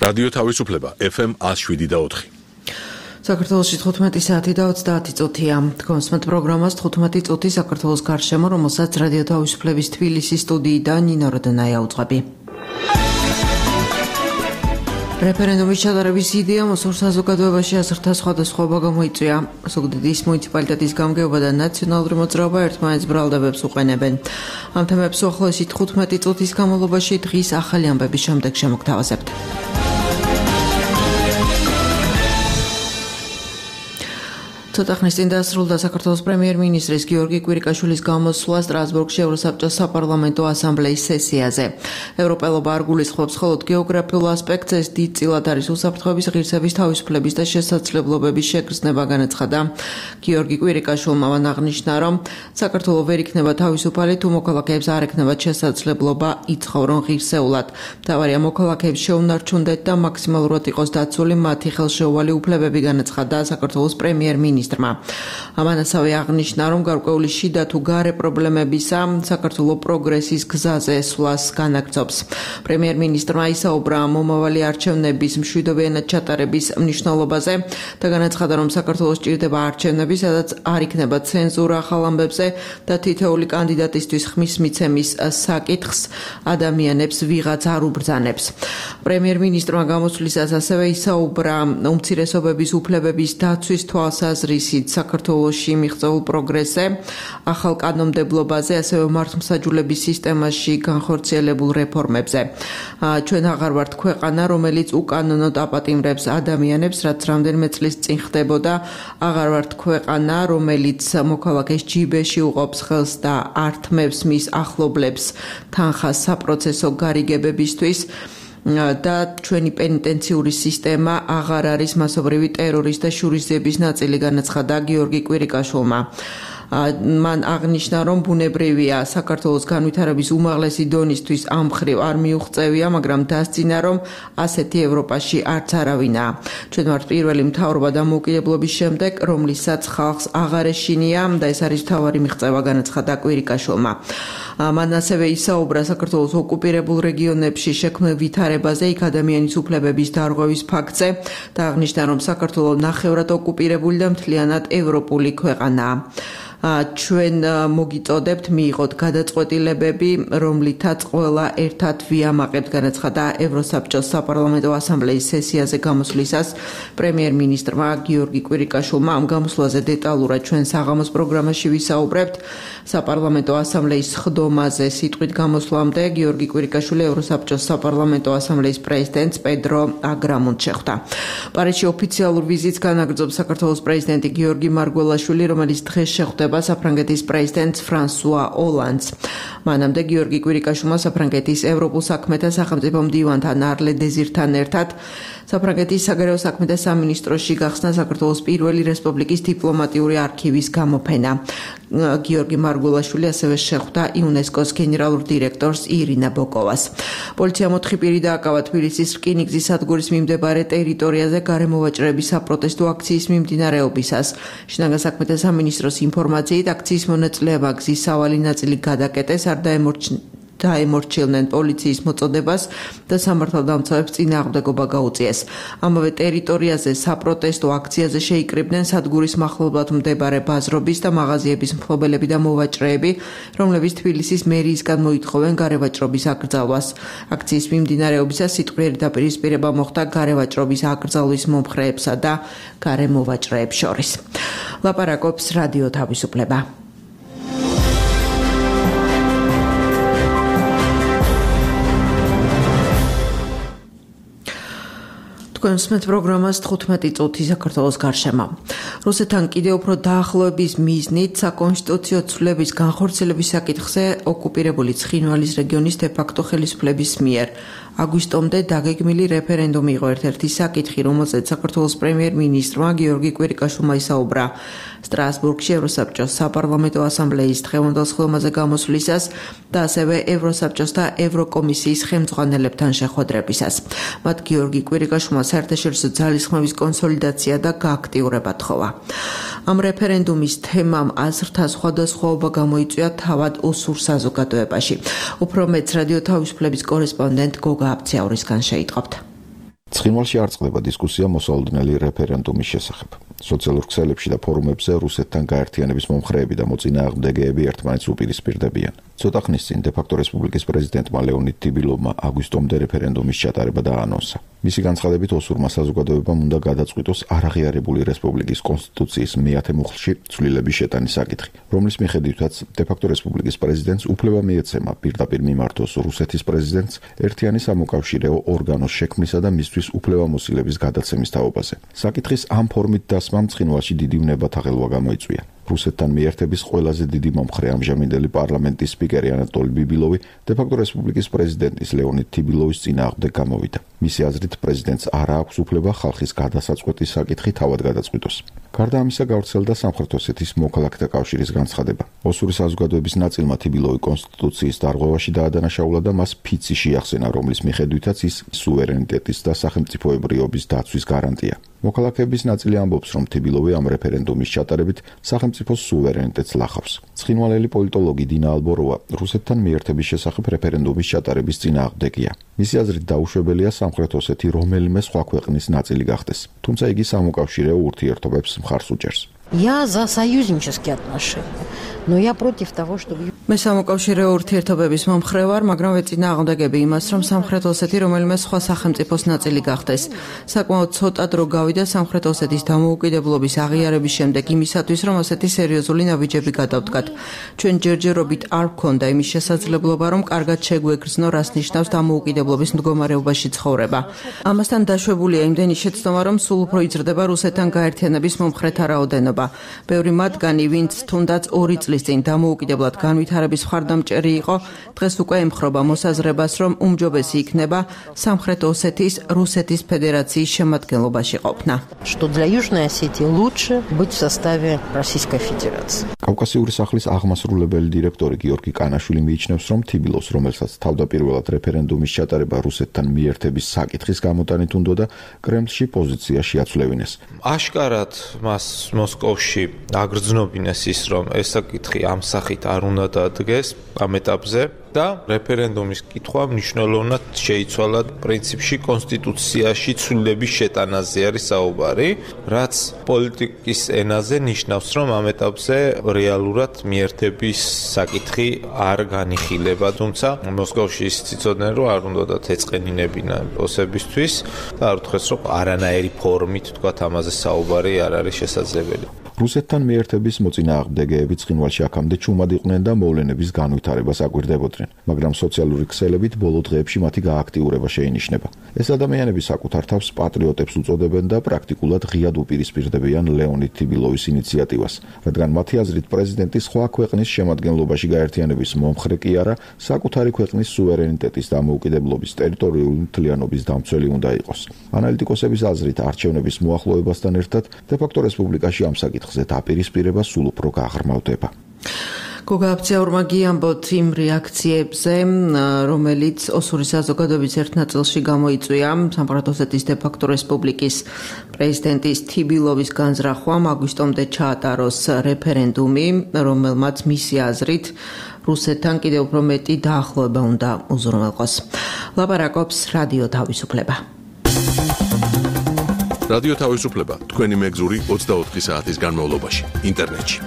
რადიო თავისუფლება FM 107.4. საქართველოში 15 საათი და 30 წუთია. კონსმეთ პროგრამას 15 წუთი საქართველოს გარშემო, რომელსაც რადიო თავისუფლების თბილისის სტუდიიდან ნინო როდნაია უძღვები. რეფერენდუმის ჩატარების იდეა მოსურ საზოგადოებაში აზრთა სხვადასხვაობა გამოიწვია. ზუგდიდის მუნიციპალიტეტის გამგეობა და ნაციონალური მოძრაობა ერთმანეთს ბრალდებებს უყენებენ. ამ თემებს უახლოესი 15 წუთის განმავლობაში დღის ახალი ამბების შემდეგ შემოგთავაზებთ. ცოტა ხნის წინ დასრულდა საქართველოს პრემიერ-მინისტრის გიორგი კვირიკაშვილის გამოსვლა სტრასბურგში ევროსაბჭოს საპარლამენტო ასამბლეის სესიაზე. ევროპელობა არ გულისხმობს მხოლოდ გეოგრაფიულ ასპექტს, ეს დიდწილად არის უსაფრთხოების, ღირსების, თავისუფლების და შესაძლებლობების შეგრძნება, განაცხადა გიორგი კვირიკაშვილმა. მან აღნიშნა, რომ საქართველო ვერ იქნება თავისუფალი, თუ მოქალაქეებს არ ექნებათ შესაძლებლობა იცხოვრონ ღირსეულად. მთავარია მოქალაქეებს შეუნარჩუნდეთ და მაქსიმალურად იყოს დაცული მათი ხელშეუვალი უფლებები, განაცხადა საქართველოს პრემიერ-მინისტრი. ამან ასევე აღნიშნა, რომ გარკვეული შიდა თუ გარე პრობლემებისა საქართველო პროგრესის გზაზე სვლას განაგრძობს. პრემიერ-მინისტრმა ისაუბრა მომავალი არჩევნების მშვიდობიანად ჩატარების მნიშვნელობაზე და განაცხადა, რომ საქართველოს ჭირდება არჩევნები, სადაც არ იქნება ცენზურა ახალ ამბებზე და თითოეული კანდიდატისთვის ხმის მიცემის საკითხს ადამიანებს ვიღაც არ უბრძანებს. პრემიერ-მინისტრმა გამოსვლისას ასევე ისაუბრა უმცირესობების უფლებების დაცვის თვალსაზრისით საქართველოში მიღწეულ პროგრესზე, ახალ კანონმდებლობაზე, ასევე მართლმსაჯულების სისტემაში განხორციელებულ რეფორმებზე. ჩვენ აღარ ვართ ქვეყანა, რომელიც უკანონოდ აპატიმრებს ადამიანებს, რაც რამდენიმე წლის წინ ხდებოდა. აღარ ვართ ქვეყანა, რომელიც მოქალაქეს ჯიბეში უყოფს ხელს და ართმევს მის ახლობლებს თანხას საპროცესო გარიგებებისთვის. და ჩვენი პენიტენციური სისტემა აღარ არის მასობრივი ტერორის და შურისძიების ნაწილი, განაცხადა გიორგი კვირიკაშვილმა. მან აღნიშნა, რომ ბუნებრივია საქართველოს განვითარების უმაღლესი დონისთვის ამ მხრივ არ მიუღწევია, მაგრამ დასძინა, რომ ასეთი ევროპაში არც არავინაა. ჩვენ ვართ პირველი მთავრობა დამოუკიდებლობის შემდეგ, რომლისაც ხალხს აღარ ეშინია და ეს არის მთავარი მიღწევა, განაცხადა კვირიკაშვილმა. მან ასევე ისაუბრა საქართველოს ოკუპირებულ რეგიონებში შექმნილ ვითარებაზე, იქ ადამიანის უფლებების დარღვევის ფაქტზე და აღნიშნა, რომ საქართველო ნახევრად ოკუპირებული და მთლიანად ევროპული ქვეყანაა. ჩვენ მოგიწოდებთ მიიღოთ გადაწყვეტილებები, რომლითაც ყველა ერთად ვიამაყებთ, განაცხადა ევროსაბჭოს საპარლამენტო ასამბლეის სესიაზე გამოსვლისას პრემიერ-მინისტრმა გიორგი კვირიკაშვილმა. ამ გამოსვლაზე დეტალურად ჩვენ საღამოს პროგრამაში ვისაუბრებთ. საპარლამენტო ასამბლეის სხდომაზე სიტყვით გამოსვლამდე გიორგი კვირიკაშვილი ევროსაბჭოს საპარლამენტო ასამბლეის პრეზიდენტს პედრო აგრამონტს შეხვდა. პარიზში ოფიციალურ ვიზიტს განაგრძობს საქართველოს პრეზიდენტი გიორგი მარგველაშვილი, რომელიც დღეს შეხვდება საფრანგეთის პრეზიდენტს ფრანსუა ოლანდს. მანამდე გიორგი კვირიკაშვილმა საფრანგეთის ევროპულ საქმეთა სახელმწიფო მდივანთან არლე დეზირთან ერთად საფრანგეთის საგარეო საქმეთა სამინისტროში გახსნა საქართველოს პირველი რესპუბლიკის დიპლომატიური არქივის გამოფენა. გიორგი მარგველაშვილი ასევე შეხვდა იუნესკოს გენერალურ დირექტორს ირინა ბოკოვას. პოლიციამ 4 პირი დააკავა თბილისის რკინიგზის სადგურის მიმდებარე ტერიტორიაზე გარემოვაჭრების საპროტესტო აქციის მიმდინარეობისას. შინაგან საქმეთა სამინისტროს ინფორმაციით აქციის მონაწილეება გზის სავალი ნაწილი გადაკეტეს, არ დაემორჩილნენ პოლიციის მოწოდებას და სამართალდამცავებს წინააღმდეგობა გაუწიეს. ამავე ტერიტორიაზე საპროტესტო აქციაზე შეიკრიბნენ სადგურის მახლობლად მდებარე ბაზრობის და მაღაზიების მფლობელები და მოვაჭრეები, რომლებიც თბილისის მერიისგან მოითხოვენ გარევაჭრობის აკრძალვას. აქციის მიმდინარეობისას სიტყვიერი დაპირისპირება მოხდა გარევაჭრობის აკრძალვის მომხრეებსა და გარემოვაჭრეებს შორის. ლაპარაკობს რადიო თავისუფლება. კონსმეთ პროგრამას 15 წუთი საქართველოს გარშემო. რუსეთთან კიდევ უფრო დაახლოების მიზნით საკონსტიტუციო ცვლილების განხორციელების საკითხზე ოკუპირებული ცხინვალის რეგიონის დე-ფაქტო ხელისუფლების მიერ აგვისტომდე დაგეგმილი რეფერენდუმი იყო ერთ-ერთი საკითხი, რომელზეც საქართველოს პრემიერ-მინისტრმა გიორგი კვირიკაშვილმა ისაუბრა სტრასბურგში ევროსაბჭოს საპარლამენტო ასამბლეის დღევანდელ სხდომაზე გამოსვლისას და ასევე ევროსაბჭოს და ევროკომისიის ხელმძღვანელებთან შეხვედრებისას. მათ გიორგი კვირიკაშვილმა საერთაშორისო ძალისხმევის კონსოლიდაცია და გააქტიურება თხოვა. ამ რეფერენდუმის თემამ აზრთა სხვადასხვაობა გამოიწვია თავად ოსურ საზოგადოებაში. უფრო მეტს რადიო თავისუფლების კორესპონდენტ გოგა აბციაურისგან შეიტყობთ. ცხინვალში არ წყდება დისკუსია მოსალოდნელი რეფერენდუმის შესახებ. სოციალურ ქსელებში და ფორუმებზე რუსეთთან გაერთიანების მომხრეები და მოწინააღმდეგეები ერთმანეთს უპირისპირდებიან. ცოტა ხნის წინ დე-ფაქტო რესპუბლიკის პრეზიდენტმა ლეონიდ თიბილოვმა აგვისტომდე რეფერენდუმის ჩატარება დაანონსა. მისი განცხადებით ოსურმა საზოგადოებამ უნდა გადაწყვიტოს არაღიარებული რესპუბლიკის კონსტიტუციის მე-10 მუხლში ცვლილების შეტანის საკითხი, რომლის მიხედვითაც დე-ფაქტო რესპუბლიკის პრეზიდენტს უფლება მიეცემა პირდაპირ მიმართოს რუსეთის პრეზიდენტს ერთიანი სამოკავშირეო ორგანოს შექმნისა და მისთვის უფლებამოსილების გადაცემის თაობაზე. საკითხის ამ ფორმით დასმამ ცხინვალში დიდი ვნებათაღელვა გამოიწვია. რუსეთთან მიერთების ყველაზე დიდი მომხრე ამჟამინდელი პარლამენტის სპიკერი ანატოლი ბიბილოვი დე-ფაქტო რესპუბლიკის პრეზიდენტის ლეონიდ თიბილოვის წინააღმდეგ გამოვიდა. მისი აზრით პრეზიდენტს არ აქვს უფლება ხალხის გადასაწყვეტის საკითხი თავად გადაწყვიტოს. გარდა ამისა გავრცელდა სამხრეთ ოსეთის მოქალაქეთა კავშირის განცხადება. ოსური საზოგადოების ნაწილმა თიბილოვი კონსტიტუციის დარღვევაში დაადანაშაულა და მას ფიცი შეახსენა, რომლის მიხედვითაც ის სუვერენიტეტის და სახელმწიფოებრიობის დაცვის გარანტია. მოქალაქეების ნაწილი ამბობს, რომ თიბილოვი ამ რეფერენდუმის ჩატარებით სახელმწიფოს სუვერენიტეტს ლახავს. ცხინვალელი პოლიტოლოგი დინა ალბოროვა რუსეთთან მიერთების შესახებ რეფერენდუმის ჩატარების წინააღმდეგია. მისი აზრით დაუშვებელია სამხრეთ ოსეთი რომელიმე სხვა ქვეყნის ნაწილი გახდეს, თუმცა იგი სამოკავშირეო ურთიერთობებს მხარს უჭერს. Я за союзнические отношения, но я против того, чтобы... მე სამოკავშირეო ურთიერთობების მომხრე ვარ, მაგრამ ვეწინააღმდეგები იმას, რომ სამხრეთ ოსეთი რომელიმე სხვა სახელმწიფოს ნაწილი გახდეს. საკმაოდ ცოტა დრო გავიდა სამხრეთ ოსეთის დამოუკიდებლობის აღიარების შემდეგ იმისათვის, რომ ოსეთი სერიოზული ნაბიჯები გადავდგათ. ჩვენ ჯერჯერობით არ ვქონდა იმის შესაძლებლობა, რომ კარგად შეგვეგრძნო, რას ნიშნავს დამოუკიდებლობის მდგომარეობაში ცხოვრება. ამასთან დაშვებულია იმდენი შეცდომა, რომ სულ უფრო იზრდება რუსეთთან გაერთიანების მომხრეთა რაოდენობა. ბევრი მათგანი, ვინც თუნდაც 2 წლის წინ დამოუკიდებლად განვითარების მხარდამჭერი იყო, დღეს უკვე ემხრობა მოსაზრებას, რომ უმჯობესი იქნება სამხრეთ ოსეთის რუსეთის ფედერაციის შემადგენლობაში ყოფნა. Что для Южной Осетии лучше быть в составе Российской Федерации. კავკასიური სახლის აღმასრულებელი დირექტორი გიორგი კანაშვილი მიიჩნევს, რომ თიბილოვს, რომელსაც თავდაპირველად რეფერენდუმის ჩატარება რუსეთთან მიერთების საკითხის გამოტანით უნდოდა, კრემლში პოზიცია შეაცვლევინეს. აშკარად მას მოსკოვში აგრძნობინეს ის, რომ ეს საკითხი ამ სახით არ უნდა დადგეს ამ ეტაპზე და რეფერენდუმის კითხვა მნიშვნელოვნად შეიცვალა პრინციპში კონსტიტუციაში ცვლილების შეტანაზე არის საუბარი, რაც პოლიტიკის ენაზე ნიშნავს, რომ ამ ეტაპზე რეალურად მიერთების საკითხი არ განიხილება, თუმცა მოსკოვში ის იცოდნენ, რომ არ უნდათ ეწყენინებინა ოსებისთვის და არ უთხრეს, რომ არანაირი ფორმით თქვა ამაზე საუბარი არ არის შესაძლებელი. რუსეთთან მიერთების მოწინააღმდეგეები ცხინვალში აქამდე ჩუმად იყვნენ და მოვლენების განვითარებას აკვირდებოდნენ, მაგრამ სოციალური ქსელებით ბოლო დღეებში მათი გააქტიურება შეინიშნება. ეს ადამიანები საკუთარ თავს პატრიოტებს უწოდებენ და პრაქტიკულად ღიად უპირისპირდებიან ლეონიდ თიბილოვის ინიციატივას, რადგან მათი აზრით პრეზიდენტი სხვა ქვეყნის შემადგენლობაში გაერთიანების მომხრე კი არა, საკუთარი ქვეყნის სუვერენიტეტის დამოუკიდებლობის ტერიტორიული მთლიანობის დამცველი უნდა იყოს. ანალიტიკოსების აზრით არჩევნების მოახლოებასთან ერთად დე-ფაქტო რესპუბლიკაში ამ საკითხზე დაპირისპირება სულ უფრო გაღრმავდება. გოგა აფციაურმა გიამბოთ იმ რეაქციებზე, რომელიც ოსური საზოგადოების ერთ ნაწილში გამოიწვია სამხრეთ ოსეთის დე-ფაქტო რესპუბლიკის პრეზიდენტის თიბილოვის განზრახვამ აგვისტომდე ჩაატაროს რეფერენდუმი, რომელმაც მისი აზრით რუსეთთან კიდევ უფრო მეტი დაახლოება უნდა უზრუნველყოს. ლაპარაკობს რადიო თავისუფლება. რადიო თავისუფლება თქვენი მეგზური 24 საათის განმავლობაში ინტერნეტში.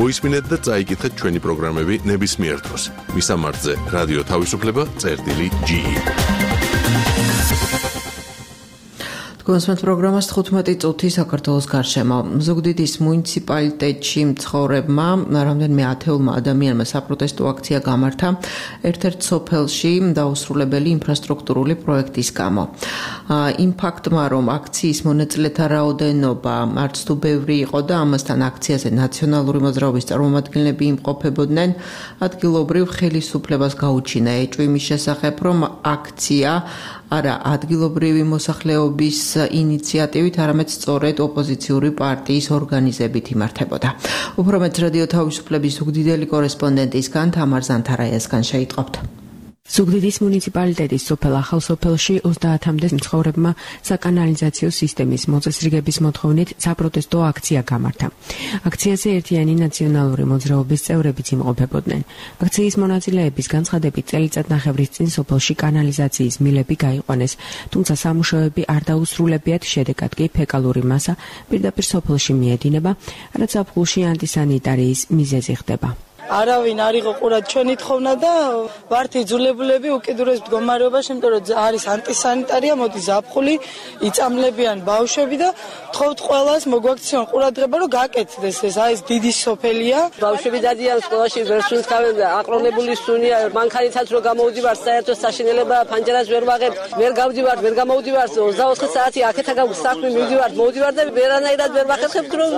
მოისმინეთ და წაიკითხეთ ჩვენი პროგრამები ნებისმიერ დროს. მისამართზე რადიო თავისუფლება.ge. თქვენს პროგრამას 15 წუთი საქართველოს გარშემო. ზუგდიდის მუნიციპალიტეტში მცხოვრებმა რამდენიმე ათეულმა ადამიანმა საპროტესტო აქცია გამართა ერთ-ერთ სოფელში დაუსრულებელი ინფრასტრუქტურული პროექტის გამო. იმ ფაქტმა, რომ აქციის მონაწილეთა რაოდენობა არც თუ ბევრი იყო და ამასთან აქციაზე ნაციონალური მოძრაობის წარმომადგენლები იმყოფებოდნენ, ადგილობრივ ხელისუფლებას გაუჩინა ეჭვი მის შესახებ, რომ აქცია არა ადგილობრივი მოსახლეობის ინიციატივით, არამედ სწორედ ოპოზიციური პარტიის ორგანიზებით იმართებოდა. უფრო მეტ რადიო თავისუფლების ზუგდიდელი კორესპონდენტისგან თამარ ზანთარაიასგან შეიტყობთ. ზუგდიდის მუნიციპალიტეტის სოფელ ახალსოფელში 30-მდე მცხოვრებმა საკანალიზაციო სისტემის მოწესრიგების მოთხოვნით საპროტესტო აქცია გამართა. აქციაზე ერთიანი ნაციონალური მოძრაობის წევრებიც იმყოფებოდნენ. აქციის მონაწილეების განცხადებით წელიწადნახევრის წინ სოფელში კანალიზაციის მილები გაიყვანეს, თუმცა სამუშაოები არ დაუსრულებიათ, შედეგად კი ფეკალური მასა პირდაპირ სოფელში მიედინება, რაც ზაფხულში ანტისანიტარიის მიზეზი ხდება. არავინ არ იყო ყურად ჩვენი თხოვნა და ვართ იძულებულები უკიდურეს მდგომარეობაში, იმიტომ რომ არის ანტისანიტარია, მოდი ზაფხული, იწამლებიან ბავშვები და თხოვთ ყველას მოგვაქციონ ყურადღება, რომ გაკეთდეს ეს, აი ეს დიდი სოფელია. ბავშვები დადიან სკოლაში, ვერ სუნთქავენ და აყრონებული სუნია, მანქანითაც რო გამოვდივართ, საერთოდ საშინელება ფანჯარას ვერ ვაღებთ, ვერ გავდივართ, ვერ გამოვდივართ, 24 საათი აქეთაგან საქმე მივდივართ და ვერანაირად ვერ ვახერხებთ, რომ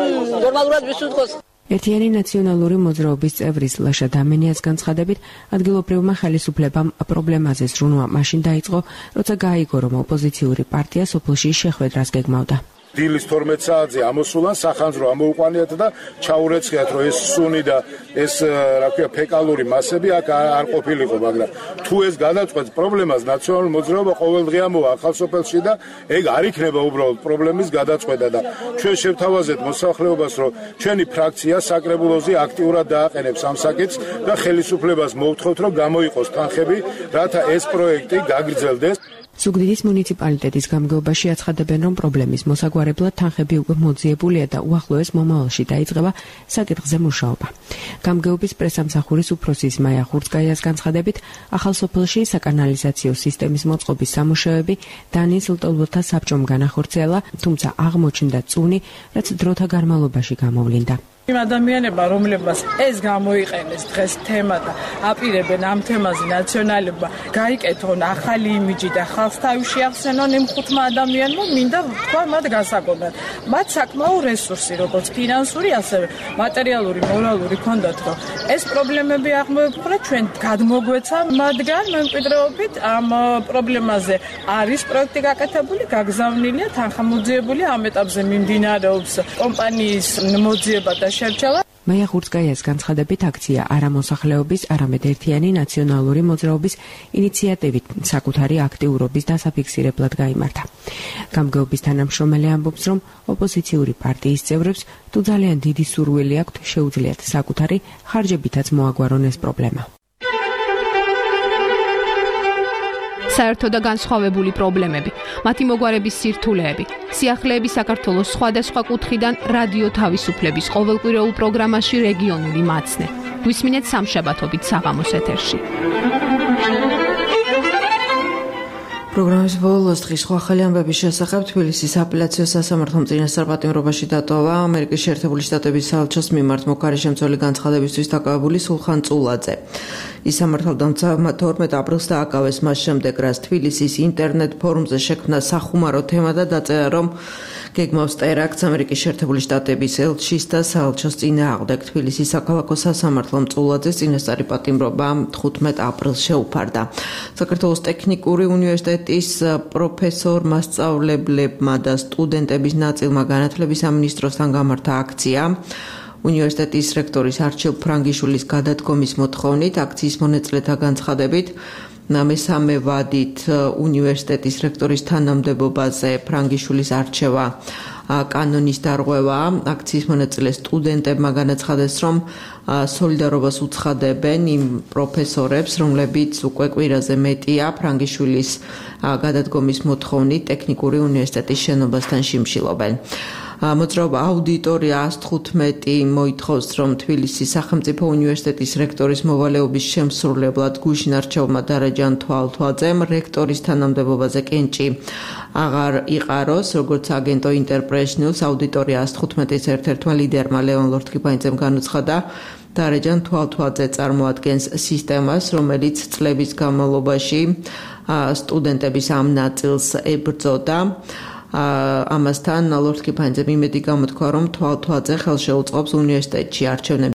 ნორმალურად ვისუნთქოს. ერთიანი ნაციონალური მოძრაობის წევრის ლაშა დამენიას განცხადებით, ადგილობრივმა ხელისუფლებამ პრობლემაზე ზრუნვა მაშინ დაიწყო, როცა გაიგო, რომ ოპოზიციური პარტია სოფელში შეხვედრას გეგმავდა. დილის 12 საათზე ამოსულან სახანძრო ამოუყვანიათ და ჩაურეცხიათ, რომ ეს სუნი და ეს ფეკალური მასები აქ არ ყოფილიყო, მაგრამ თუ ეს გადაწყვეტს პრობლემას, ნაციონალური მოძრაობა ყოველდღე ამოვა ახალსოფელში და ეგ არ იქნება უბრალოდ პრობლემის გადაწყვეტა და ჩვენ შევთავაზეთ მოსახლეობას, რომ ჩვენი ფრაქცია საკრებულოზე აქტიურად დააყენებს ამ საკითხს და ხელისუფლებას მოვთხოვთ, რომ გამოიყოს თანხები, რათა ეს პროექტი გაგრძელდეს. ზუგდიდის მუნიციპალიტეტის გამგეობაში აცხადებენ, რომ პრობლემის მოსაგვარებლად თანხები უკვე მოძიებულია და უახლოეს მომავალში დაიწყება საკითხზე მუშაობა. გამგეობის პრესამსახურის უფროსის მაია ხურცკაიას განცხადებით, ახალსოფელში საკანალიზაციო სისტემის მოწყობის სამუშაოები დანიის ლტოლვილთა საბჭომ განახორციელა, თუმცა აღმოჩნდა წუნი, რაც დროთა განმავლობაში გამოვლინდა. იმ ადამიანებმა, რომლებმაც ეს გამოიყენეს დღეს თემა და აპირებენ ამ თემაზე ნაციონალებმა გაიკეთონ ახალი იმიჯი და ხალხს თავი შეახსენონ იმ 5 ადამიანმა, მინდა თქვა მათ გასაგონად. მათ საკმაო რესურსი, როგორც ფინანსური, ასევე მატერიალური, მორალური ჰქონდათ, რომ ეს პრობლემები აღმოეფხვრათ, ჩვენ გადმოგვეცა მათგან მემკვიდრეობით ამ პრობლემაზე არის პროექტი გაკეთებული, გაგზავნილია, თანხა მოძიებულია, ამ ეტაპზე მიმდინარეობს კომპანიის მოძიება და მაია ხურცკაიას განცხადებით, აქცია არა მოსახლეობის, არამედ ერთიანი ნაციონალური მოძრაობის ინიციატივით საკუთარი აქტიურობის დასაფიქსირებლად გაიმართა. გამგეობის თანამშრომელი ამბობს, რომ ოპოზიციური პარტიის წევრებს თუ ძალიან დიდი სურვილი აქვთ, შეუძლიათ საკუთარი ხარჯებითაც მოაგვარონ ეს პრობლემა. საერთო და განსხვავებული პრობლემები, მათი მოგვარების სირთულეები, სიახლეები საქართველოს სხვადასხვა კუთხიდან რადიო თავისუფლების ყოველკვირეულ პროგრამაში რეგიონული მაცნე. გვისმინეთ სამშაბათობით საღამოს ეთერში. პროგრამის ბოლოს დღის სხვა ახალი ამბების შესახებ თბილისის აპელაციო სასამართლომ წინასწარ პატიმრობაში დატოვა ამერიკის შეერთებული შტატების საელჩოს მიმართ მოქარიშემცველი განცხადებისთვის დაკავებული სულხან წულაძე. ის სამართალდამცავმა 12 აპრილს დააკავეს მას შემდეგ, რაც თბილისის ინტერნეტ ფორუმზე შექმნა სახუმარო თემა და დაწერა, რომ გეგმავს ტერაქტს ამერიკის შეერთებული შტატების ელჩის და საელჩოს წინააღმდეგ. თბილისის საქალაქო სასამართლომ წულაძეს წინასწარი პატიმრობა 15 აპრილს შეუფარდა. საქართველოს ტექნიკური უნივერსიტეტის პროფესორ მასწავლებლებმა და სტუდენტების ნაწილმა განათლების სამინისტროსთან გამართა აქცია. უნივერსიტეტის რექტორის არჩილ ფრანგიშვილის გადადგომის მოთხოვნით აქციის მონაწილეთა განცხადებით მესამე ვადით უნივერსიტეტის რექტორის თანამდებობაზე ფრანგიშვილის არჩევა კანონის დარღვევა. აქციის მონაწილე სტუდენტებმა განაცხადეს, რომ სოლიდარობას უცხადებენ იმ პროფესორებს, რომლებიც უკვე კვირაზე მეტია ფრანგიშვილის გადადგომის მოთხოვნით ტექნიკური უნივერსიტეტის შენობასთან შიმშილობენ. მოძრაობა აუდიტორია 115 მოითხოვს, რომ თბილისის სახელმწიფო უნივერსიტეტის რექტორის მოვალეობის შემსრულებლად გუშინ არჩეულმა დარეჯან თვალთვალძემ რექტორის თანამდებობაზე კენჭი აღარ იყაროს, როგორც აგენტო ინტერპრეს ნიუს აუდიტორია 115-ის ერთ-ერთმა ლიდერმა ლეონ ლორთქიფანიძემ განუცხადა, დარეჯან თვალთვალძე წარმოადგენს სისტემას, რომელიც წლების განმავლობაში სტუდენტების ამ ნაწილს ებრძოდა. ამასთან ლორთქიფანიძემ იმედი გამოთქვა, რომ თვალთვალძე ხელშეუწყობს უნივერსიტეტში არჩევნების